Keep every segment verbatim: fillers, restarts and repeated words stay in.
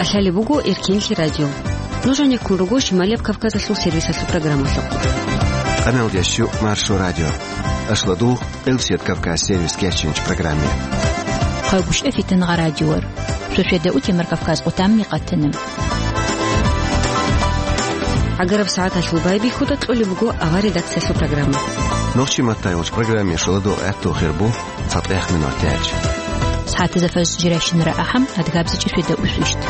КӀалъалеб буго Эркенлъи радио. Нуж гьанеккун руго Шималияб Кавказалъул сервисалъул программалъухъ. Къаналдящу Маршо радио. Ашладу Элсет Кавказ сервис кечинч программе. Хъайгуща фитнагъа радиор. Шошеда утемар Кавказ къутам микъатана. ГӀагараб сагӀаталъул байбихьуда кьолеб буго авар редакциялъул программа. Нохчи маттай уч программе шоладу гӀатту хирбу. ЦатӀехъ минут тяч. СагӀатазда фажр жирайщинара ахӀам, адгабзичӀи шведа усвищт.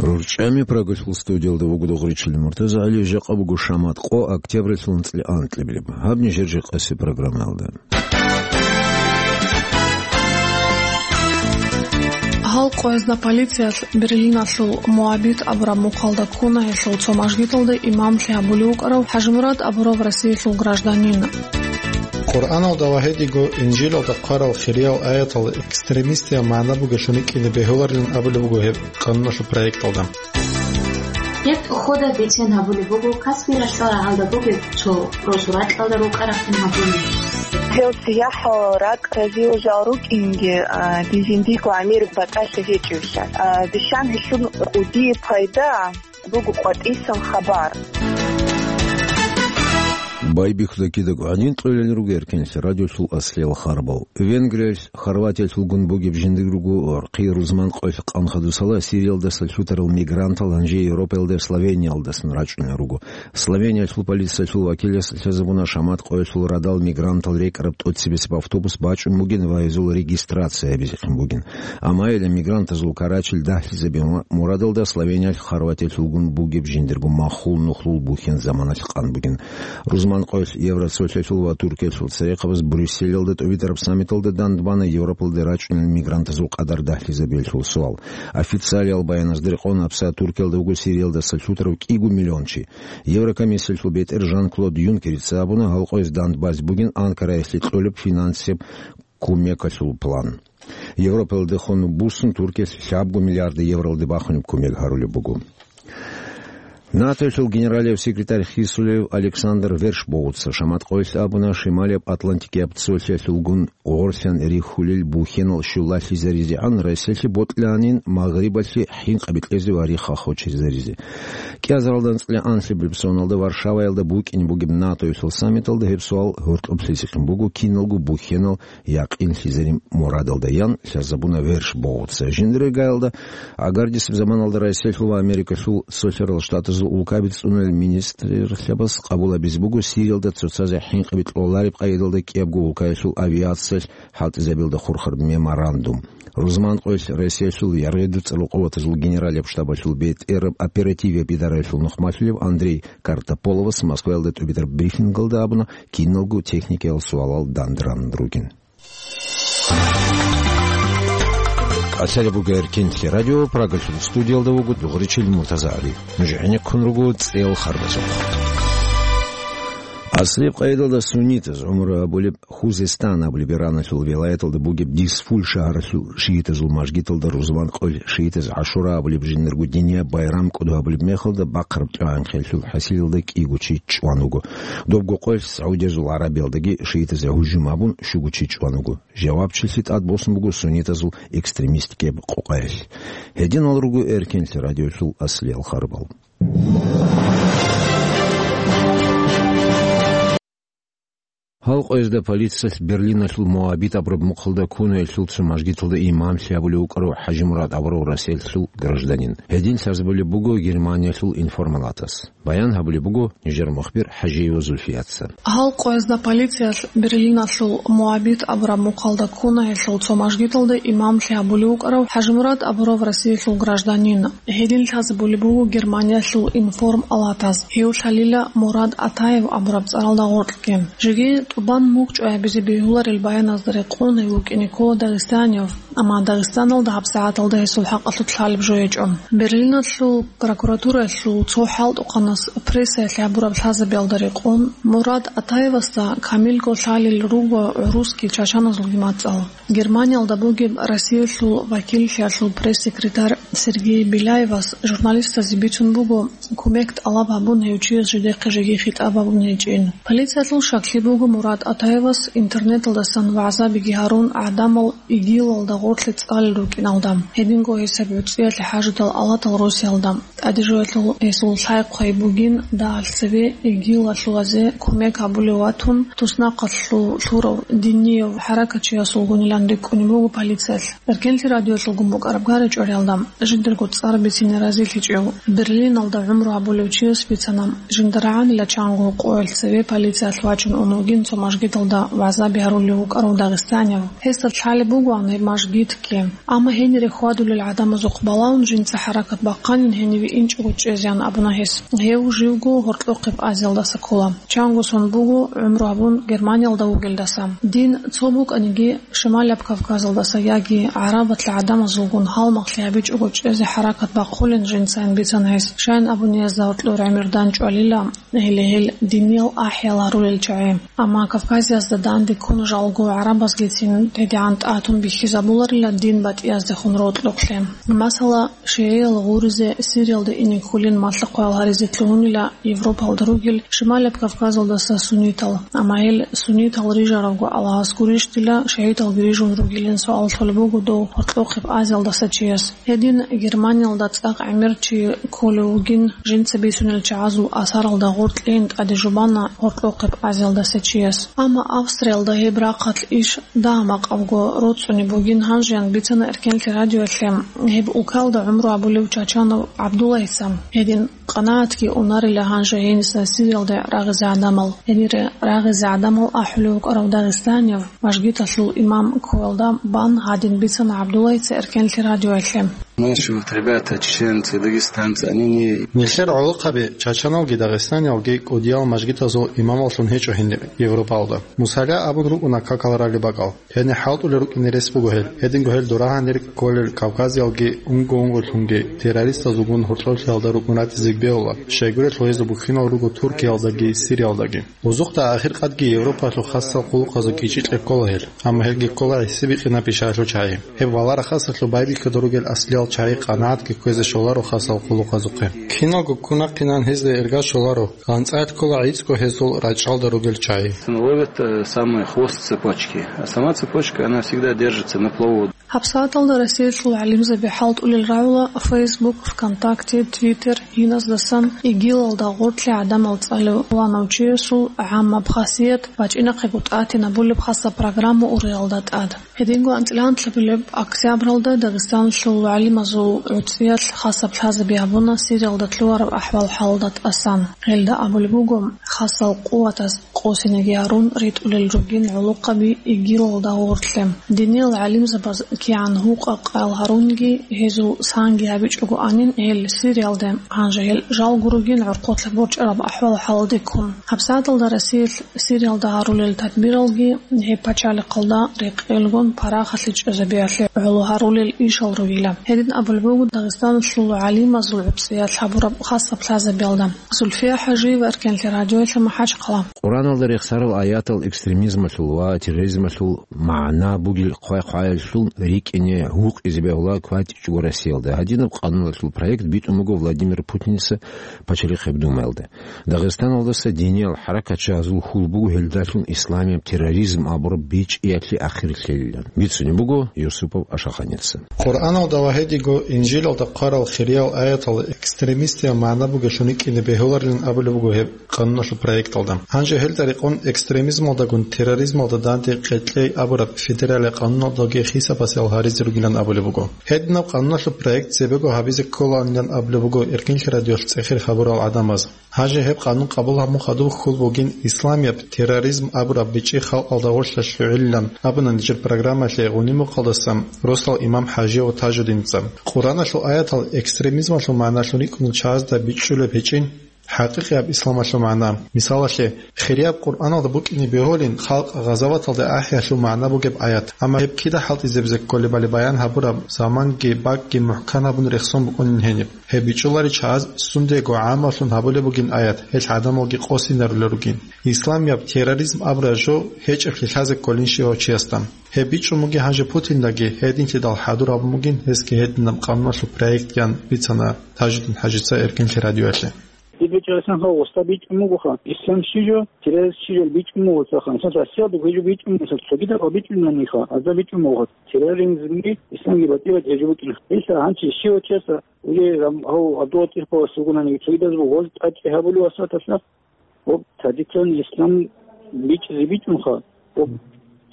РурчӀами Прагалъул студиялда вуго Дугъричил Муртазагьали, жакъа буго шамат къо, октябралъул анцӀила анкьабилеб. Гьаб нижер жакъаси программаялда. Гьал къоязда полициялъ Берлиналъул Моабит абураб мухъалда ккуна гьелъул цо мажгиталда имамлъи гьабулев вукӀарав ХӀажимурад абурав Россиялъул гражданин. Къуръаналда ва гьедиго Инжилалда хъварал хириял аятал экстремистиял магӀна бугелъун рикӀкӀине бегьуларилан абулеб буго гьеб къануналъул проекталда. Гьеб хода бицен гьабулеб буго Каспий ралъдал рагӀалда бугеб цо росу ракьалда рукӀа рахъин гьабуни. Гьев сияхӀал ракӀ разиюжал рукӀинги, а, дизиндиго гӀемер батӀалъи гьечӀевлъа. А, бищан гьелъул кӀудияб пайда буго къватӀисан хабар. Байбихьуда кидаго гьанин кьолел руго Эркенлъи радиолъул аслиял харбал. Венгриялъ Хорватиялъулгун бугеб жиндир руго гӀорхъи рузман къоялъ къан хадусала Сириялдаса лъутарал мигрантал гьанже Европаялда Словениялдасан рачӀунел руго. Словениялъул полициялъул вакилас лъазабуна шамат къоялъул радал мигрантал рекӀараб тӀоцебесеб автобус бачӀун бугин ва гьезул регистрация гьабизехъин бугин. Амма гьеле мигрантазул карачил дагьлъизабе ма-, мурадалда Словениялъ Хорватиялъулгун бугеб жиндирго махул нухлул бухьен заманалъ къан бугин. Рузман къоялъ Евросоюзалъул ва Туркиялъул церехъабаз Брюсселалда тӀубитӀараб саммиталда дандбана Европалде рачӀунел мигрантазул къадар дагьлъизабиялъул суал. Официалиял баяназда рекъон, гьабсагӀат Туркиялда вуго Сириялдаса лъутарав кӀиго миллион чи. Еврокомиссиялъул бетӀер Жан-Клод Юнкерица абуна, гьал къояз дандбазе бугин Анкараялъе кьолеб финансияб кумекалъул план. Европаялдехун буссун Туркиялъ лъабго миллиард евролде бахунеб кумек гьарулеб буго. НАТОялъул генералияб секретарь хисулев Александр Вершбоуца шамат къоялъ абуна, Шималияб Атлантикияб цолъиялъулгун гъорлъан рихьулел бухьенал щулалъизаризегӀан Россиялъе бокьанин Магърибалъе хӀинкъаби кьезе ва рихха хочезаризе. КӀиазаралда анцӀила анлъабилеб соналда Варшаваялда букӀине бугеб НАТОялъул саммиталда гьеб суал гьоркьоблъизехъин буго, киналго бухьенал якъинлъизарин мурадалда, ян лъазабуна Вершбоуца. Жиндир гаялда агардисеб заманалда Россиялъул ва Америкалъул Цолъарал Штатазул улкаби цӀунулел министрлъабас къабул гьабизе буго Сириялда цоцазе хӀинкъаби кьолареб къайдалда кӀиябго улкаялъул авиациялъ хӀалтӀизабиялда хурхараб меморандум. Рузман къоялъ Россиялъул яргъи дуцӀарал къуватазул генералияб штабалъул бетӀераб оперативияб идараялъул нухмалъулев Андрей Картополовас Москваялда тӀубитӀараб брифингалда абуна, киналго техникиял суалал дандран ругин. КӀалъалеб буго Эркенлъи радио, Прагалъул студиялда вуго Дугъричил Муртазагьали. Нуж гӀенеккун руго цӀел харбазухъ. Аслияб къайдалда суннитаз гӀумру гьабулеб Хузестан абулеб Ираналъул вилаяталда бугеб Дизфуль шагьаралъул шиитазул мажгиталда рузман къоялъ шиитаз ГӀашура абулеб жиндирго динияб байрам кӀодо гьабулеб мехалда бахъараб тӀагӀинхъелъул хӀасилалда кӀиго чи чӀван вуго. Добго къоялъ СагӀудиязул ГӀарабиялдаги шиитазе гьужум гьабун, щуго чи чӀван вуго. Жавабчилъи тӀадбосун буго суннитазул экстремистикаб къокъаялъ. Гьединал руго Эркенлъи радиолъул аслиял харбал. Гьал къоязда полициялъ Берлиналъул Моабит абураб мухъалда ккунаялъул цо мажгиталда имамлъи гьабулев вукӀарав ХӀажимурад абурав Россиялъул гражданин. Гьедин лъазабулеб буго Германиялъул информалатас. Баян гьабулеб буго нижер мухбир ХӀажиева Зульфияца. Гьал къоязда полициялъ Берлиналъул Моабит абураб мухъалда ккунаялъул цо мажгиталда имамлъи гьабулев вукӀарав ХӀажимурад абурав Россиялъул гражданин. Гьедин лъазабулеб буго Германиялъул информалатас, гьев лъалила Мурад Атаев абураб цӀаралда гъоркьги. Жеги тӀубан мугъ чӀвай гьабизе бегьуларел баяназда рекъон гьев вукӀине ккола дагъистаниев, амма Дагъистаналда гьабсагӀаталда гьесул хӀакъалъулъ лъалеб жо гьечӀо. Берлиналъул прокуратураялъул цо хӀалтӀухъанас прессаялъ гьабураб лъазабиялда рекъон, Мурад Атаевасда камилго лъалел руго гӀурусги чачаназулги мацӀал. Германиялда бугеб Россиялъул вакиллъиялъул пресс-секретарь Сергей Беляевас журналистазе бицун буго, кумек тӀалаб гьабун гьев чияс жидехъе жеги хитӀаб гьабун гьечӀин. Полициялъул щаклъи буго Мурат Атаевас интернеталдасан вагӀзабиги гьарун гӀадамал ИГИЛалда гъорлъе цӀалел рукӀиналда. Гьединго гьесаб гӀуцӀиялъе хӀажудал алатал росиялда. ТӀадежоялъул гьесул лъай-хъвай бугин дагьал цеве ИГИЛалъулазе кумек гьабулев ватун, туснахъалъул лъурав динияв хӀаракатчиясулгунилан рикӀкӀунеб буго полициялъ. Эркенлъи радиоялъулгун букӀараб гьаричӀориялда жиндирго цӀар бицине разилъичӀев Берлиналда гӀумру гьабулев чияс бицана, жинда рагӀанила чанго къоялъ цеве полициялъ вачун ун вугин цо мажгиталда вагӀзаби гьарулев вукӀарав дагъистанияв. Гьесда лъалеб бугоан гьеб мажгитги. Амма гьенире хьвадулел гӀадамазухъ балагьун жинца хӀаракат бахъанин гьениве инчӀого чӀезеян абуна гьес. Гьев живго Гьоркьохъеб Азиялдаса ккола. Чанго сон буго гӀумру гьабун Германиялда вугелдаса. Дин цо букӀаниги, Шималаб Кавказалдаса яги гӀарабалъ гӀадамазулгун гьалмагълъи гьабичӀого чӀезе хӀаракат бахъулин жинцайин бицана гьес, щайин абуни гьезда гьоркьор гӀемер данчӀвалила, гьеле гьел диниял ахӀиял гьарулел чагӀи. Амма Кавказиязда данде ккун жалго гӀарабазгицин гьедигӀан тӀатун бихьизабуларила дин батӀияздехун рокьохълъи. Масала, шигӀиял гъуризе Сириялда ине кколин малъа-хъваял гьаризе лъугьунила Европалда ругел Шималаб Кавказалдаса суннитал. Амма гьел суннитал рижарабго Аллагьас гурищ дила шигӀиталги рижун ругилин суал лъолеб буго дов Гьоркьохъеб Азиялдаса чияс. Гьедин Германиялда цӀакъ гӀемер чи кколев вугин, жинца бицунел чагӀазул асаралда гъоркьейин тӀаде жубана Гьоркьохъеб Азиялдаса чияс. Амма Австриялда гьеб рахъалъ иш дагьа-макъабго роцӀцӀунеб бугин гьанжеян бицана Эркенлъи радиоялъе гьеб улкалда гӀумру гьабулев Чачанов ГӀабдуллагьица. Гьедин къанагӀатги унарила гьанже гьениса Сириялде рагъизе гӀадамал. Гьенире рагъизе гӀадамал ахӀулев вукӀарав дагъистанияв, мажгиталъул имам ккоялда бан гьадин бицана ГӀабдуллагьица Эркенлъи радиоялъе. Наши вот ребята, чеченцы, дагестанцы, они не... Нилъер гӀолохъаби, чачаналги дагъистаниялги кӀудиял мажгитазул имамаллъун гьечӀо гьениб Европалда. Мусала абун рукӀуна какал ралеб бакӀал. Гьениб хӀалтӀулел рукӀине рес буго гьел. Гьединго гьел дурагьанир кколел Кавказиялги унго-унголъунги террористазулгун гьоркьоблъиялда рукӀун ратизе бегьула. Щайгурелъул гьезул бухьинал руго Туркиялдаги Сириялдаги. Узухъда ахиркъадги Европалъул хасал хъулухъазул кӀичӀи кьеккола гьел, амма гьелги ккола гӀисибикъинаб бищаялъул чагӀи. Гьеб валарахъасалъул байбихьуда ругел аслиял чагӀи къанагӀатги кквезе щоларо хасал хъулухъазухъе. Киналго ккунахъинан гьезда ирга щоларо, анцӀаялъ ккола гӀицӀго гьезул рачӀалда ругел чагӀи. Ловят, э, самый хвост цепочки, а сама цепочка, она всегда держится на плаву. ГьабсагӀаталда Россиялъул гӀалимзаби хӀалтӀулел рагӀула Facebook, ВКонтакте, Twitter, иназдасан ИГИЛалда гъоркье гӀадамал цӀалев пуланав чиясул гӀаммаб хасият бачӀинахъего тӀатинабулеб хасаб программа ургъелда тӀад. Гьединго анцӀила анлъабилеб октябралда Дагъистаналъул гӀалимазул гӀуцӀиялъ хасаб лъазаби гьабуна Сириялда лъугьараб ахӀвал-хӀалалда тӀасан. Гьелда абулеб буго, хасал къуватаз къосинеги гьарун ритӀулел ругин гӀолохъаби ИГИЛалда гъоркье. Диниял гӀалимзабаз кигӀан гьукъа-къаял гьарунги, гьезул санги гьабичӀого анин гьел Сириялде, гьанже гьел жалго ругин гӀорхъолъа борчӀараб ахӀвал-хӀалалде ккун. ГьабсагӀаталда Россиялъ Сириялда гьарулел тадбиралги гьеб пачалихъалда рекъелгун парахалъе чӀезабиялъе гӀоло гьарулел ишал ругила. Гьедин абулеб буго Дагъистаналъул гӀалимазул гӀуцӀиялъ гьабураб хасаб лъазабиялда. Зульфия ХӀажиева, Эркенлъи радиоялъ, МахӀачхъала. Къуръаналда рехсарал аятал экстремизмалъул ва терроризмалъул магӀна бугел хъвай-хъваялъул рикӀкӀине гьукъизе бегьула кватӀичӀого Россиялда. Гьадинаб къануналъул проект битӀун буго Владимир Путиница Пачалихъеб Думаялда. Дагъистаналдаса диниял хӀаракатчагьазул хьул буго гьелдалъун исламияб терроризм абураб бичӀчӀиялъе ахир лъелилан. Бицунеб буго Юсупов Ашаханица. Къуръаналда ва гьедиго Инжилалда хъварал хириял аятал экстремистиял магӀна бугелъун рикӀкӀине бегьуларилан абулеб буго гьеб къануналъул проекталда. Гьанже гьелда рекъон экстремизмалдагун терроризмалда данде къекъей абураб федералияб къануналдаги хисабасеял гьаризе ругилан абулеб буго. Гьединаб къануналъул проект цебего гьабизе кколаанилан абулеб буго Эркенлъи радиоялъ цӀехир хабурал гӀадамаз. Гьанже гьеб къанун къабул гьабун хадуб хьул бугин исламияб терроризм абураб бичӀчӀи халкъалда гъорлъа лъугӀилилан абуна нижер программалъе гъуни-мухъалдаса росдал имам ХӀажи ва Тажудинца. Къуръаналъул аятал экстремизмалъул магӀналъун рикӀкӀунел чагӀазда бичӀчӀулеб гьечӀин, ХӀакъикъияб исламалъул магӀна. Мисалалъе, хирияб Къуръаналда букӀине бегьулин халкъ гъазаваталда ахӀиялъул магӀна бугеб аят, амма гьеб кида хӀалтӀизе бекколебали баян гьабураб заманги бакӀги мухӀкан гьабун рехсон букӀунин гьениб. Гьеб бичӀчӀуларищ гьаз сундего гӀаммалъун гьабулеб бугин аят, гьелъ гӀадамалги къосинарулел ругин. Исламияб терроризм абураб жо гьечӀеблъи лъазе кколин щивав чиясда. Гьеб бичӀчӀун бугин гьанже Путиндаги, гьединлъидал хӀадур гьабун бугин гьесги гьединаб къануналъул проектги, ан бицана Тажидин ХӀажица Эркенлъи радиоялъе. Диб гьечӀеб исламха гъоста бичӀчӀун бугоха. Ислам щи жо, терроризм щи жо бичӀчӀун буго цаха. Мисал, Россиялда гьеб жо бичӀчӀун, мисал, цогидал гьеб бичӀчӀунани ха. Гьазда бичӀчӀун бугоха. Терроризмги исламги батӀи-батӀи жо букӀина. Исла гьанчи щивав чияса, уже гьав Абдулла ТӀирпалас вугонаниги, цогидаз буго гъоз тӀачӀи гьабулев васаталъа, гьеб традиционный ислам бичӀчӀизе бичӀчӀунха. Гьеб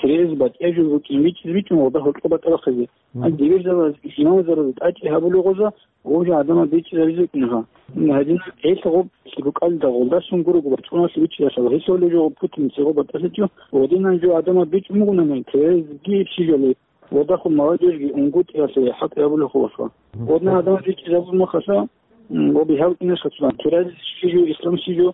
терроризм батӀияб жо букӀин бичӀчӀизе бичӀчӀун, гъода гьоркьоб батӀа бахъизе. Гьанже диверсиялаз, исламазараз тӀачӀи гьабулев гъоза, гъов жо гӀадамал бичӀчӀизабизе букӀинаха. Гьадин, гьелъ гъоб лъикӀукӀалда гъолдасан гурого бачӀуналъ бичӀчӀиялъул, гьелъ гьолев жо гъоб Путин цего батӀалъичӀо, гъодинан жо гӀадамал бичӀчӀун бугонани, терезги ибси жали, гъодахъун молодежьги унгутӀиялъе хӀалтӀи гьабулев хулаха. Гъодинан гӀадамал бичӀчӀизабун махалъа, м, гъоб гьав инешха цо, терез щи жо, ислам щи жо,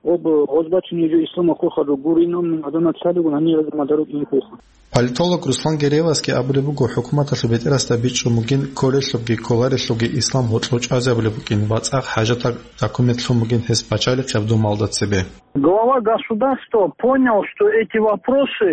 Об гъозбачун гьечӀо исламалъул хадуб гурин, амма гьадамал лъалигун гьанир гьазамадаро кӀинхъулха. Политолог Руслан Гереевасги абулеб буго, хӀукуматалъул бетӀерасда бичӀчӀун бугин, кколелъубги кколарелъубги ислам гьоркьов чӀвазе абулеб букӀин ва цӀакъ хӀажатаб документ лъун бугин гьес пачалихъияб думалда цебе. Глава государства понял, что эти вопросы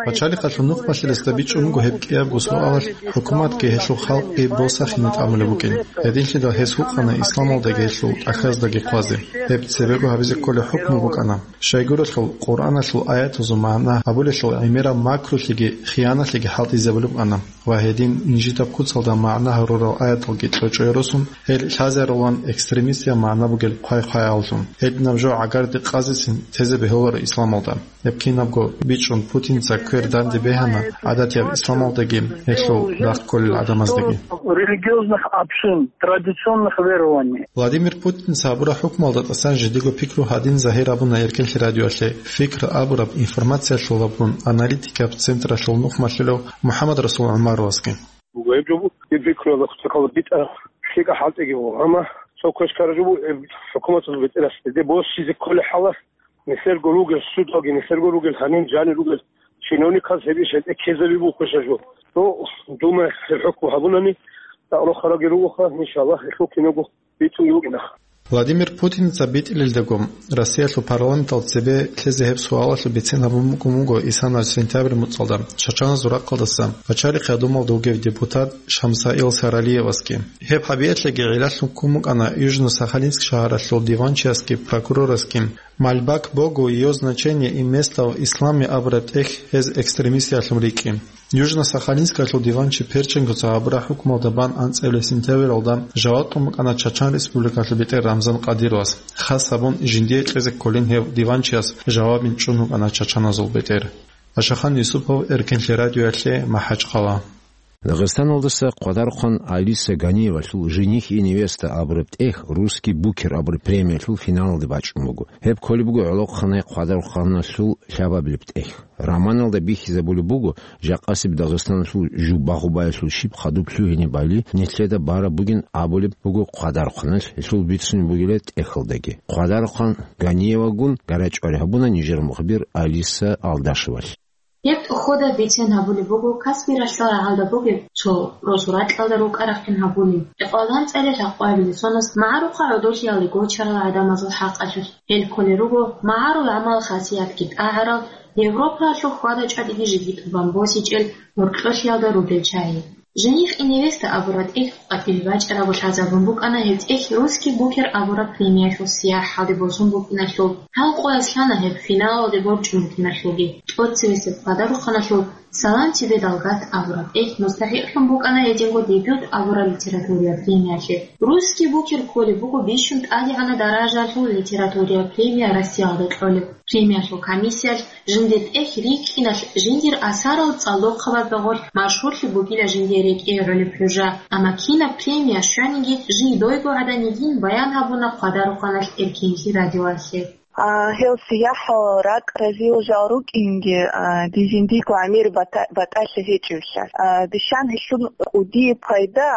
Пачалихъалъул нухмалъиласда бичӀчӀун буго гьеб кӀиябго суалалъ, хӀукуматги гьелъул халкъги босахине тӀамулеб букӀин. Гьединлъидал гьес гьукъана исламалдаги гьелъул тӀахьаздаги хъвазе. Гьеб цебего гьабизе кколеб хӀукму букӀана. Щайгурелъул Къуръаналъул аятазул магӀна гьабулелъул гӀемераб макрулъиги хияналъиги хӀалтӀизабулеб букӀана. Ва гьедин инжитаб куцалда магӀна гьарурал аяталги чӀочӀое росун, гьел лъазарулан экстремистияб магӀна бугел хъвай-хъваяллъун. Гьединаб жо гӀагарде къазесин тезе бегьуларо исламалда. Гьеб кинабго бичӀчӀун Путинца квер данде бегьана гӀадатияб исламалдаги гьелъул рахъ кколел гӀадамаздаги. Религиозных общин, традиционных верований. Владимир Путинца гьабураб хӀукмуялда тӀасан жидего пикру гьадин загьир абуна Эркенлъи радиоялъе. Фикр абураб информациялъул абун аналитикаб централъул нухмалъулев МухӀаммад Расул ГӀумаровасги. Буго гьеб жо буго, гьеб пикруялда цохӀо битӀараб лъикӀаб хӀалтӀиги буго, амма цо квеш ккараб жо буго, гьеб хӀукуматалъул бетӀерас гьезде босизе кколеб хӀалалъ, нилъерго ругел судалги, нилъерго ругел гьанин жанир ругел чиновниказ гьеб иш гьезде ккезаби буго квешаб жо. Ну, Думаялъ гьеб хӀукму гьабунани, цӀакъ рохараги ругоха, иншаллагь, гьелъул кинабго битӀун вукӀинаха. Владимир Путинца битӀилелдаго, Россиялъул парламенталда цебе лъезе гьеб суалалъул бицен гьабун букӀун буго исана сентябрь муцӀалда Чачаназул рахъалдаса Пачалихъ гьадумалда вугев депутат Шамсаил Саралиевасги. Гьеб гьабиялъеги гӀиллалъун ккун букӀана Южно-Сахалинск шагьаралъул диванчиясги прокурорасги. Мольба к Богу, Её значение и место в исламе абураб тӀехь гьез экстремистиялъун рикӀкӀи. Южно-Сахалинскалъул диванчи Перченкоца гьабураб хӀукмуялда бан анцӀила сентябралда жаваб кьун букӀана Чачан Республикалъул бетӀер Рамзан Кадыровас. Хас гьабун, жиндие кьезе кколин гьев диванчияс жавабин чӀун вукӀана чачаназул бетӀер. Ашахан Юсупов, Эркенлъи радиоялъе, МахӀачхъала. Дагъистаналдаса Хъвадарухъан Алиса Ганиевалъул «Жених и невеста» абураб тӀехь «Русский букер» абураб премиялъул финалалде бачӀун буго. Гьеб кколеб буго гӀолохъанай Хъвадарухъаналъул лъабабилеб тӀехь. Романалда бихьизабулеб буго, жакъасеб Дагъистаналъул жуб багъубаялъул щиб хадуб лъугьине бали нилъеда бараб бугин абулеб буго Хъвадарухъаналъ, гьелъул бицунеб бугила тӀехьалдаги. Хъвадарухъан Ганиевагун гьарачӀвари гьабуна нижер мухбир Алиса Алдашевалъ. Гьеб тӀоходаб бицен гьабулеб буго Каспи ралъдал рагӀалда бугеб цо росу ракьалда рукӀа-рахъин гьабулин. Экъвалан цӀалел гьакъуабилеб соназ магӀарухъа гӀодолъиялде гочарал гӀадамазул хӀакъалъулъ. Гьел кколел руго магӀарул гӀамал-хасиятги тӀагӀарал, Европаялъул хьвада-чӀвадиги жеги тӀубан босичӀел гьоркьолъиялда ругел чагӀи. «Жених и невеста» абураб тӀехь къватӀибе бачӀарабго лъазабун букӀана гьеб тӀехь «Русский букер» абураб премиялъул сияхӀалде босун букӀиналъул. Гьал къоялъ лъана гьеб финалалде борчӀун букӀиналъулги. ТӀоцебесеб Хъвадарухъаналъул «Салам тебе, Далгат» абураб тӀехь мустахӀикълъун букӀана гьединго «Дебют» абураб литератураяб премиялъе. «Русский букер» кколеб буго бищун тӀадегӀанаб даражаялъул литератураяб премия Россиялда кьолеб. Премиялъул комиссиялъ жиндир тӀехь рикӀкӀиналъ жиндир асарал цӀалдохъабазда гъорлъ машгьурлъи бугила жиндие рекӀее гӀолеб хӀужа. Амма кинаб премия щваниги, жий дойго гӀадан йигин баян гьабуна Хъвадарухъаналъ Эркенлъи радиоялъе. А, гьел сияхӀал ракӀ разиял жал рукӀинги, а, дир жиндирго гӀемер бата-, батӀалъи гьечӀеблъи. А, дишан гьелъул кӀудияб пайда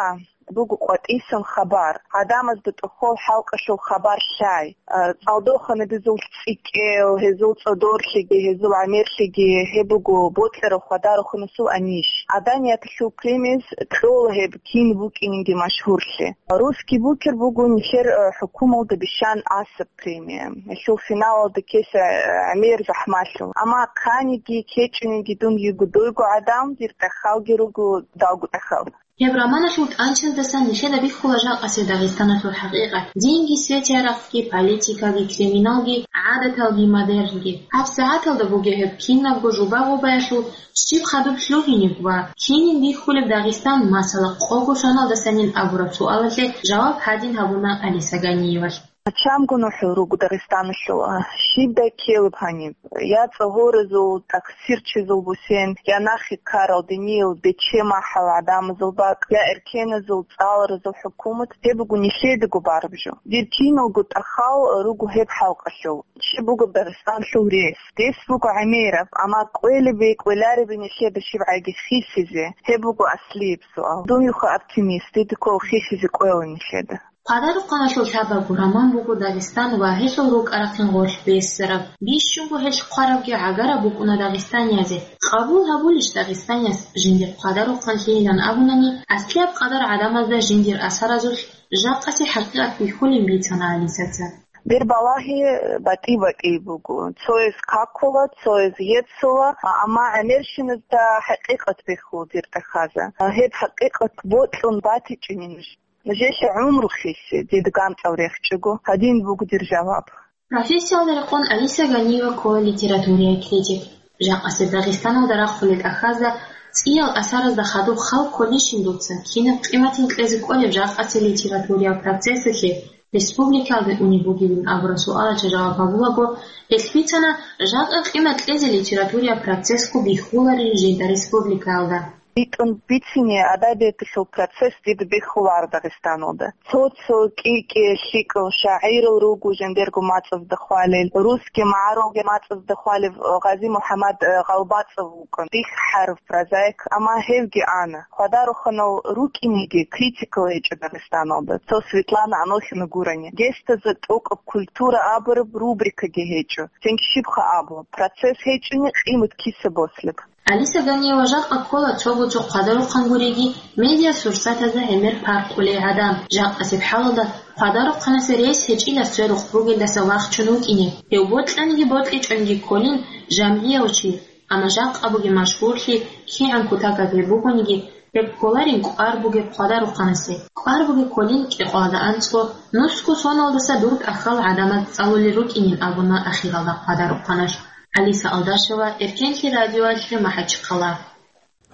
буго къватӀисан хабар. Гьадамазда тӀохол хӀалкъалъул хабар лъай. А, цӀалдоханабизул цӀикӀкӀел, гьезул цӀодорлъиги, гьезул гӀемерлъиги, гьеб буго бокьарав хвадарухъанасул анищ. Гьаданияталъул премияз кьола гьеб кин букӀининги машгьурлъи. Русский букер буго нилъер, э, хӀукумалда бищан асаб премия. Гьелъул финалалда ккеса, э, гӀемер захӀмалъул. Амма хъаниги, кечӀунинги дун йиго дойго гӀадам, дир тӀахьалги руго далго тӀахьал. Гьеб романалъул тӀанчаздасан нилъеда бихьула жакъасеб Дагъистаналъул хӀакъикъат: динги, свети-гӀаракъги, политикаги, криминалги, гӀадаталги, модернги. ГьабсагӀаталда бугеб гьеб кинабго жуба-гъубаялъул щиб хадуб лъугьинеб ва кинин бихьулеб Дагъистан, масала, къого соналдасанин абураб суалалъе жаваб гьадин гьабуна Алиса Ганиевалъ. Гьачамго нухӀул руго Дагъистаналъул, а, щибдай ккелеб гьаниб? Я цӀогьоразул таксирчизул бусен, я нахъе ккарал диниял бече-махӀал гӀадамазул бакӀ, я эркеназул, цӀаларазул хӀукумат, гьеб буго нилъедаго бараб жо. Дир киналго тӀахьал руго гьеб хӀалкъалъул. Щиб бугеб Дагъистаналъул рес? Рес буго гӀемераб, амма кӀвелеб-кӀвелареб нилъеда щибгӀаги хисизе, гьеб буго аслияб суал. Дун юха оптимист, дида ккола хисизе кӀвела нилъеда. Хъвадарухъаналъул лъабабго роман буго Дагъистан ва гьелъул рукӀа-рахъин гъорлъ бессараб. Бищунго гьелъ хъварабги гӀагараб букӀуна дагъистаниязе. Къабул гьабулищ дагъистанияс жиндир хъвадарухъанлъийилан абунани, аслияб къадар гӀадамазда жиндир асаразулъ жакъасе хӀакъикъат бихьулин бицана Алисаца. Дир балагьи батӀи-батӀи буго. Цояз какула, цояз еццула, амма гӀемерщиназда хӀакъикъат бихьула дир тӀахьазда. Гьеб хӀакъикъат бокьун батичӀони нуж. Нужее гӀумру хиссе, дида гамцӀал рехчӀого, гьадин буго дир жаваб. Профессиялда рекъон Алиса Ганиева ккола литературияй критик. Жакъасеб Дагъистаналда рахъулел тӀахьазда, цӀиял асаразда хадуб хал кколищин дуца кинаб къиматин кьезе кӀолеб жакъасеб литературиял процессалъе республикаялде унеб бугебин абураб суалалъе жаваб гьабулаго, гьелъ бицана, жакъа къимат кьезе литературиял процессго бихьуларин жинда республикаялда. БитӀун бицине, адабияталъул процесс дида бихьуларо Дагъистаналда. Цо-цо кӀи-кӀи лъикӀал шагӀирал руго жиндирго мацӀазда хвалел, русский магӀарулги мацӀазда хвалев Гъази МухӀаммад, э, ГъалбацӀов вукӀун, бихьарав прозаик, амма гьевги ана. Хъвадарухъанал рукӀинеги критикал гьечӀо Дагъистаналда, цо Светлана Анохина гурани. Гьесда за тӀокӀаб культура абураб рубрикаги гьечӀо. Цинги щибха абу, процесс гьечӀони, къимат киса бослеб? Алиса Ганиева жакъа ккола цого-цо хъвадарухъан гуриги, медиасурсатазда гӀемер паркъулей гӀадам. Жакъасеб хӀалалда хъвадарухъанасе рес гьечӀила сверухъ бугелдаса вахчун вукӀине. Гьев бокьаниги бокьичӀониги кколин жамгӀияв чи, амма жакъа бугеб машгьурлъи, кигӀан кутакаб гьеб бугониги, гьеб кколарин кӀвар бугеб хъвадарухъанасе. КӀвар бугеб кколин кӀикъоялда анцӀго, нусго соналдаса дур тӀахьал гӀадамаз цӀалулел рукӀинин абуна ахиралда хъвадарухъаналъ. Алиса Алдашева, Эркенлъи радиоялъе, МахӀачхъала.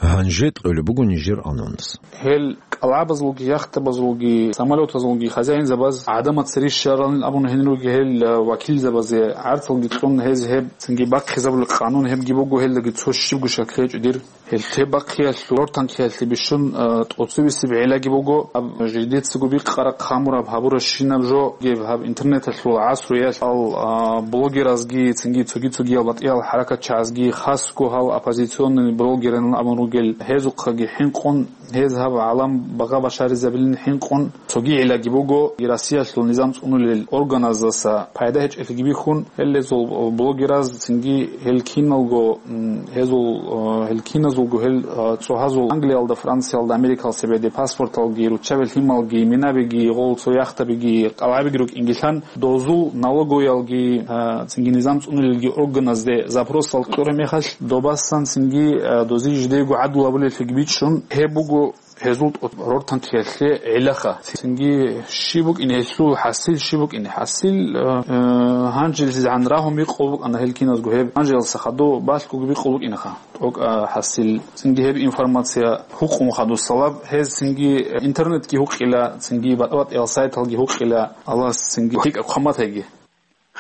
Гьанже кьолеб буго нижер анонс. Гьел кӀалгӀабазулги, яхтабазулги, самолетазулги хозяинзабаз гӀадамаца рищаралин абун гьенир руги гьел, э, вакилзабазе гӀарцалги кьун гьез гьеб цинги бахъизабулеб къанун гьебги буго, гьелдаги цо щибго шакли гьечӀо дир. Гьелъе бахъиялъул гӀортанхъиялъе бищун, а, тӀоцебесеб гӀиллаги буго, гьаб жидецаго бикъараб, хъамураб, гьабурабщинаб жо гьеб гьаб интернеталъул гӀасруялъ, а, блогеразги, цинги цоги-цогиял батӀиял хӀаракатчагӀазги, хасго гьал оппозиционный блогерин абун ругел, гьезухъаги хӀинкъун, гьез гьаб гӀалам багъа башаризабилин хӀинкъун, цоги гӀиллаги буго, Россиялъул низам цӀунулел органаздаса пайда гьечӀелъиги бихьун, гьел гьезул блогераз цинги гьел киналго, м, гьезул, э, гьел киназулго гьел, э, цӀогьазул Англиялда, Франциялда, Америкалда цебеде паспорталги, руччаби лъималги, минабиги, гъол цо яхтабиги, кӀалгӀабиги рукӀингилан, дозул налоговыялги, э, цинги низам цӀунулелги органазде запросал кьураб мехалъ, добасан цинги, э, дозе жидего гӀадлу гьабулеллъиги бичӀчӀун, гьеб буго гьезул тӀо-, рортанхъиялъе гӀилаха. Цинги щиб букӀине гьелъул хӀасил, щиб букӀине хӀасил, э, э, гьанжелъизегӀан рагьун бикъулеб букӀана гьел киназго гьеб, гьанжелалдаса хадуб балъгоги бикъулеб букӀинаха. ТӀокӀ, а, хӀасил. Цинги гьеб информация гьукъун хадусалаб, гьез цинги интернетги гьукъила, цинги батӀа-батӀиял сайталги гьукъила, Аллагьас цинги лъикӀаб хъван батайги.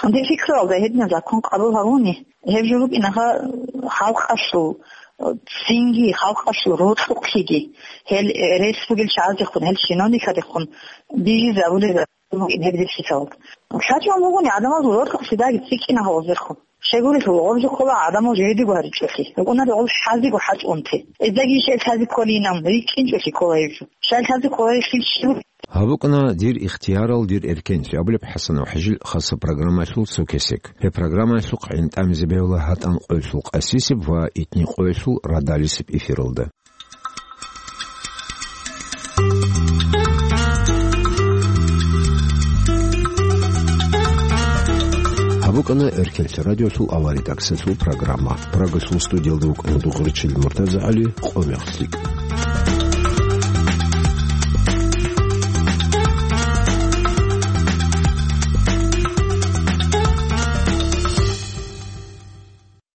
Гьанже пикруялда гьединаб закон къабул гьабуни, гьеб жо букӀинаха халкъалъул, цинги халкъалъул рокьукълъиги, гьел рес бугел чагӀаздехун, гьел чиновникадехун бижизабулеб букӀин гьеб рихьисал. ЛъачӀун бугони гӀадамазул рокьукълъи даги цӀикӀкӀина гьавазехун. Щайгурелъул гъоржи ккола гӀадамал жегьидего гьаричӀолъи, рукӀунаре гъол хӀазиго хӀачӀунти. Эздаги ишайл хӀази кколинан, рикӀкӀинчӀолъи ккола гьеб жо. Щайл хӀази ккола рихьил щиб? Гьабукъана «Дир ихтиярал, дир эркенлъи» абулеб ХӀасанов ХӀажил хаса программаялъул цо кесек. Гьеб программаялъухъ гӀин тӀамизе бегьула гьатӀан къоялъул къасисеб ва итни къоялъул радалисеб эфиралда. ГьабукӀана Эркенлъи радиолъул авария таксалъул программа. Прагалъул студиялда вукӀана Дугъричил МуртазагӀали, къо мехлъи.